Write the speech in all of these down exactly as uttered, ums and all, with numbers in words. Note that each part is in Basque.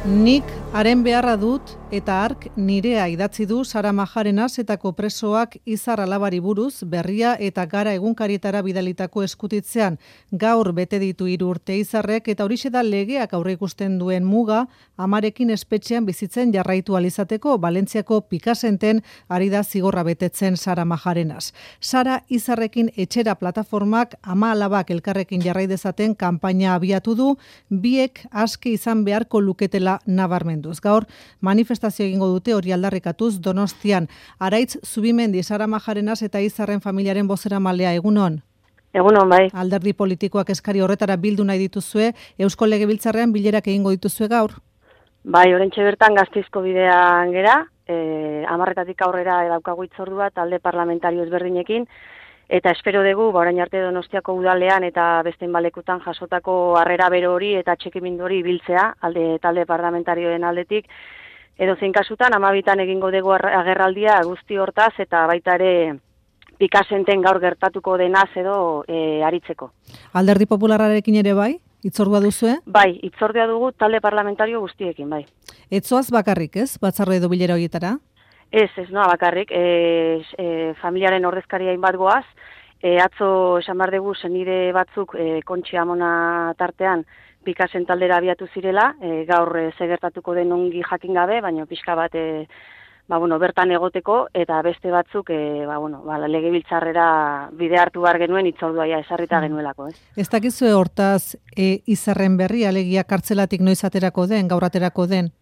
Nik haren beharra dut eta hark nirea idatzi du Sara Majarenaz etako presoak Izar alabari buruz Berria eta Gara egunkarietara bidalitako eskutitzean. Gaur bete ditu hiru urte Izarrek eta horixe da legeak aurreikusten duen muga amarekin espetxean bizitzen jarraitu alizateko. Valentziako Pikasenten ari da zigorra betetzen Sara Majarenaz. Sara Izarrekin etxera plataformak ama alabak elkarrekin jarrai dezaten kanpaina abiatu du, biek aske izan beharko luketela nabarmenduz. Gaur manifestazio egingo dute hori aldarrikatuz Donostian. Araitz Zubimendi, Sara Majarenaz eta Izarren familiaren bozeramalea, egunon? Egunon, bai. Alderdi politikoak eskari horretara bildu nahi dituzue, Eusko Legebiltzarrean bilerak egingo dituzue gaur? Bai, oraintxe bertan Gasteizko bidean gera, eh, hamarretatik aurrera daukagu hitzordua talde parlamentario ezberdinekin, eta espero dugu, ba, orain arte Donostiako udalean eta beste balekutan jasotako harrera bero hori eta atxikimendu hori biltzea, alde talde parlamentarioen aldetik, edo zein kasutan, hamabitan egingo dugu agerraldia guzti hortaz, eta baita ere Pikasenten gaur gertatuko denaz edo e, aritzeko. Alderdi Popularrarekin ere bai? Hitzordua duzue? Bai, hitzordua dugu talde parlamentario guztiekin, bai. Etzoaz bakarrik, ez? Batzarre edo bilera horietara? Ez, ez noa bakarrik, e, e, familiaren ordezkaria inbat goaz, e, atzo esan behar dugu zenide batzuk e, Kontxi Amona tartean Pikasen taldera abiatu zirela, e, gaur e, zegertatuko den ongi jakin gabe, baina pixka bat e, ba, bueno, bertan egoteko, eta beste batzuk e, ba, bueno, ba, legebiltzarrera bide hartu behar genuen hitzordua ja esarrita genuelako. Ez, ez dakizue hortaz e, Izarren berri, alegia kartzelatik noiz aterako den, gaur aterako den?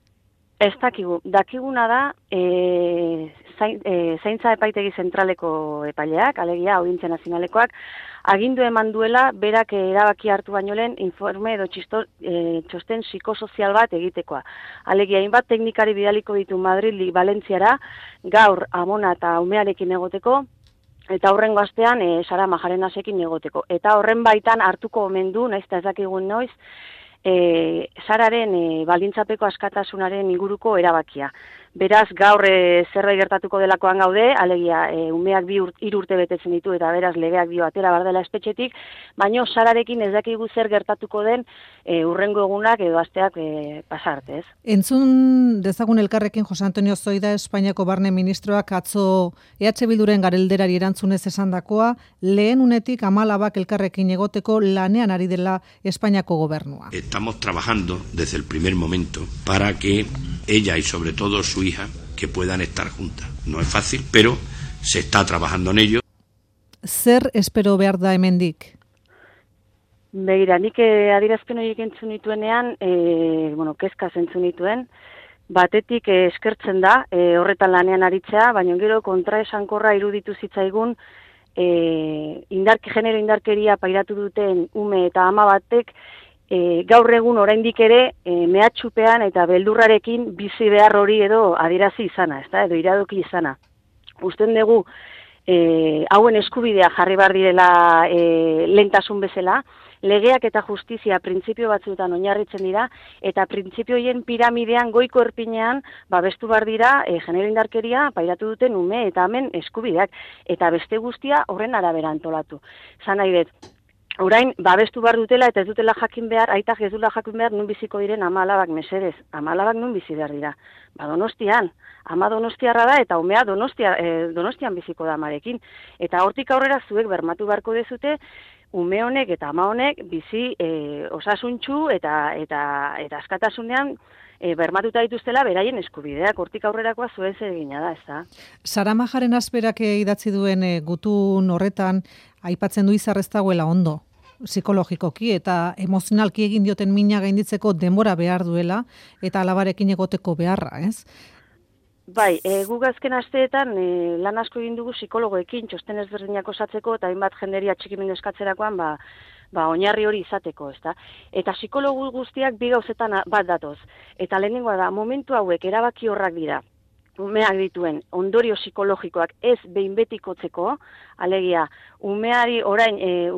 Ez dakigu. Dakiguna da e, zain, e, zaintza epaitegi zentraleko epaileak, alegia Audientzia Nazionalekoak, agindu eman duela berak erabaki hartu baino lehen informe edo txisto, e, txosten psikosozial bat egitekoa. Alegia, hainbat teknikari bidaliko ditu Madrid Valentziara, gaur Amona eta umearekin egoteko, eta horrengo astean e, Sara Majarenazekin egoteko. Eta horren baitan hartuko omen du, naiz eta ez dakigun noiz, E, Sararen e, baldintzapeko askatasunaren inguruko erabakia. Beraz, gaur e, zerbait gertatuko delakoan gaude, alegia e, umeak bi urt, hiru urte betetzen ditu eta beraz legeak dio atera bardela espetxetik, baino Sararekin ez dakigu zer gertatuko den e, urrengo egunak edo asteak e, pasarte, ez? Entzun dezagun elkarrekin Jose Antonio Zoida, Espainiako barne ministroak atzo E H Bilduren garelderari erantzunez esandakoa, lehen unetik ama alabak elkarrekin egoteko lanean ari dela Espainiako gobernua. Estamos trabajando desde el primer momento para que ella y sobre todo su hija que puedan estar juntas. No es fácil, pero se está trabajando en ello. Zer espero behar da hemendik? Begira, nik adierazpen horiek entzun nituenean, e, bueno, kezka entzun nituen, batetik e, eskertzen da, e, horretan lanean aritzea, baina gero kontraesankorra iruditu zitzaigun, e, indarki, genero indarkeria pairatu duten ume eta ama batek, E, gaur egun oraindik ere e, mehatxupean eta beldurrarekin bizi behar hori edo adierazi izana, ezta? Edo iradoki izana. Usten dugu e, hauen eskubidea jarri behar direla e, lentasun bezala, legeak eta justizia printzipio batzuetan oinarritzen dira, eta printzipioien piramidean goiko erpinean babestu behar dira e, genero indarkeria pairatu duten ume eta hemen eskubideak, eta beste guztia horren arabera antolatu. Zan nahi dut, orain, babestu behar dutela eta ez dutela jakin behar, aitak ez dutela jakin behar nun biziko diren ama alabak mesedez. Ama alabak nun bizi behar dira. Ba, Donostian. Ama Donostiarra da eta umea Donostia, eh, Donostian biziko da amarekin. Eta hortik aurrera zuek bermatu beharko dezute, ume honek eta ama honek bizi eh, osasuntsu eta, eta, eta askatasunean E, bermatuta dituztela beraien eskubideak, hortik aurrerakoa zuen egina da, ez da? Sara Majarenaz berak idatzi duen e, gutun horretan aipatzen du Izar ez dagoela ondo, psikologikoki eta emozionalki egin dioten mina gainditzeko denbora behar duela eta alabarekin egoteko beharra, ez? Bai, e, guk azken asteetan e, lan asko egin dugu psikologoekin, txosten ezberdinak osatzeko eta hainbat jenderia txikimendu eskatzerakoan, ba, ba, oinarri hori izateko, ezta? Eta psikologu guztiak bi gauzetan bat datoz. Eta lehenengoa da, momentu hauek erabaki horrak dira, umeak dituen ondorio psikologikoak ez behin betikotzeko, alegia, umeari orain, e,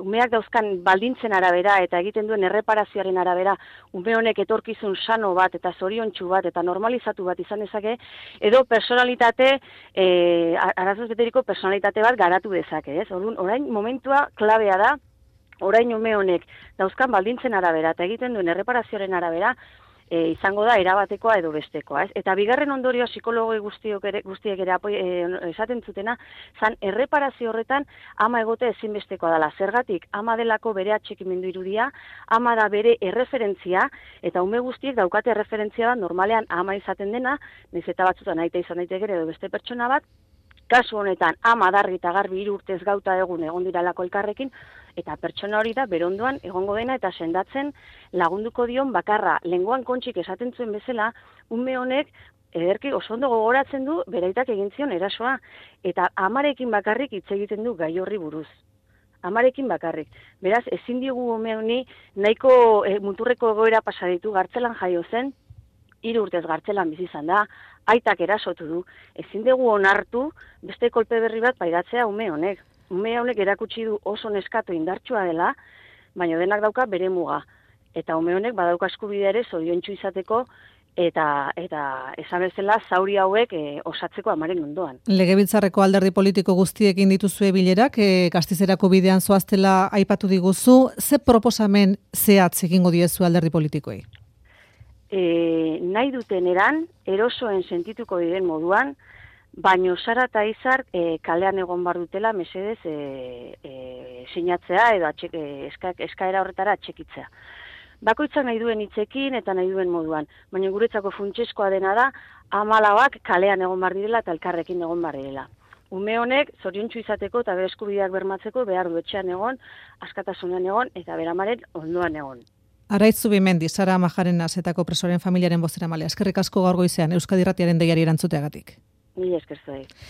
umeak dauzkan baldintzen arabera eta egiten duen erreparazioaren arabera, ume honek etorkizun sano bat eta zoriontsu bat eta normalizatu bat izan dezake, edo personalitate, e, arazoz beteriko personalitate bat garatu dezake, ez? Orduan, orain momentua klabea da, orain ume honek dauzkan baldintzen arabera eta egiten duen erreparazioaren arabera, e, izango da erabatekoa edo bestekoa, ez? Eta bigarren ondorioa psikologo guztiok ere, guztiek ere apoi, e, esaten zutena, zan erreparazio horretan ama egote ezinbestekoa dela. Zergatik, ama delako bere atxikimendu irudia, ama da bere erreferentzia, eta ume guztiek daukate erreferentzia bat normalean ama izaten dena, nahiz eta batzutan aita izan daiteke edo beste pertsona bat, kasu honetan ama dargi eta garbi hiru urtez gauta egun egon diralako elkarrekin, eta pertsona hori da berondoan egongo dena eta sendatzen lagunduko dion bakarra. Lengoan Kontxik esaten zuen bezala, ume honek ederki oso ondo gogoratzen du beraitak egin zion erasoa, eta amarekin bakarrik hitz egiten du gai horri buruz. Amarekin bakarrik. Beraz, ezin digu ume honi nahiko e, muturreko egoera pasa ditu, gartzelan jaio zen, hiru urtez gartzelan bizi izan da, aitak erasotu du, ezin dugu onartu beste kolpe berri bat pairatzea ume honek. Ume honek erakutsi du oso neskatu indartsua dela, baina denak dauka bere muga. Eta ume honek badauka eskubidea ere zoriontsu izateko eta eta esan bezala zauri hauek e, osatzeko amaren ondoan. Legebiltzarreko alderdi politiko guztiekin dituzue bilerak, e, Gastizerako bidean zoaztela aipatu diguzu, ze proposamen zehatz egingo diezu alderdi politikoei? E, nahi duten eran, erosoen sentituko diren moduan, baino Sara eta Izar e, kalean egon bar dutela mesedez e, e, sinatzea edo atxek, e, eska, eskaera horretara atxekitzea. Bakoitzak nahi duen hitzekin eta nahi duen moduan, baina guretzako funtsezkoa dena da hamalauak kalean egon bar direla eta elkarrekin egon bar direla. Ume honek zoriontsu izateko eta bere eskubideak bermatzeko behar du etxean egon, askatasunean egon eta beramaren ondoan egon. Araitz Zubimendi, Sara Majarena zetako presoren familiaren bozeramalea. Eskerrik asko gaur goizean Euskadi Irratiaren deiari erantzuteagatik. Mila esker zuei.